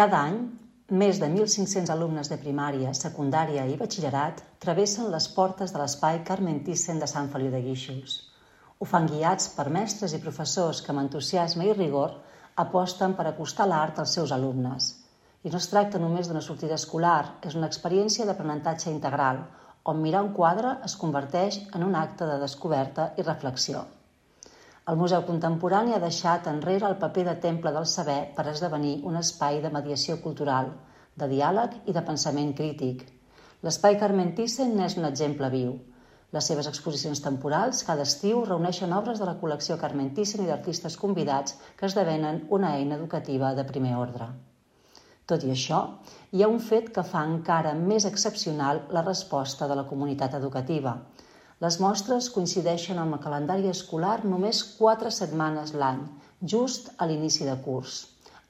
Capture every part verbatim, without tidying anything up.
Cada any, més de mil cinc-cents alumnes de primària, secundària i batxillerat travessen les portes de l'espai Carmen Thyssen de Sant Feliu de Guíxols. Ho fan guiats per mestres i professors que amb entusiasme i rigor aposten per acostar l'art als seus alumnes. I no es tracta només d'una sortida escolar, és una experiència d'aprenentatge integral, on mirar un quadre es converteix en un acte de descoberta i reflexió. El Museu Contemporani ha deixat enrere el paper de temple del saber per esdevenir un espai de mediació cultural, de diàleg i de pensament crític. L'espai Carmen Thyssen n'és un exemple viu. Les seves exposicions temporals cada estiu reuneixen obres de la col·lecció Carmen Thyssen i d'artistes convidats que esdevenen una eina educativa de primer ordre. Tot i això, hi ha un fet que fa encara més excepcional la resposta de la comunitat educativa. Les mostres coincideixen amb el calendari escolar només quatre setmanes l'any, just a l'inici de curs,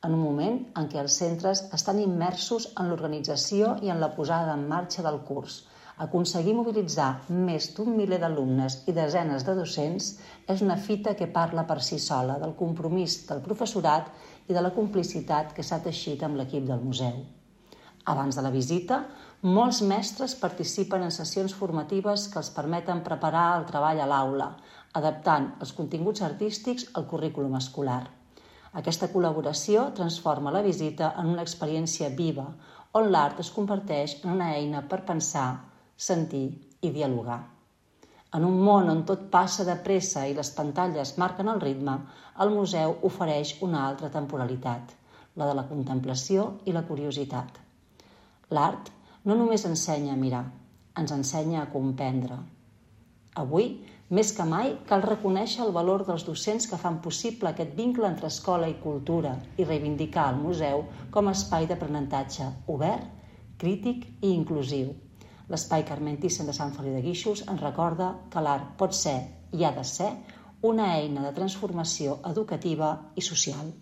en un moment en què els centres estan immersos en l'organització i en la posada en marxa del curs. Aconseguir mobilitzar més d'un miler d'alumnes i desenes de docents és una fita que parla per si sola del compromís del professorat i de la complicitat que s'ha teixit amb l'equip del museu. Abans de la visita, molts mestres participen en sessions formatives que els permeten preparar el treball a l'aula, adaptant els continguts artístics al currículum escolar. Aquesta col·laboració transforma la visita en una experiència viva, on l'art es converteix en una eina per pensar, sentir i dialogar. En un món on tot passa de pressa i les pantalles marquen el ritme, el museu ofereix una altra temporalitat, la de la contemplació i la curiositat. L'art no només ensenya a mirar, ens ensenya a comprendre. Avui, més que mai, cal reconèixer el valor dels docents que fan possible aquest vincle entre escola i cultura i reivindicar el museu com a espai d'aprenentatge obert, crític i inclusiu. L'espai Carmen Thyssen de Sant Feliu de Guíxols ens recorda que l'art pot ser i ha de ser una eina de transformació educativa i social.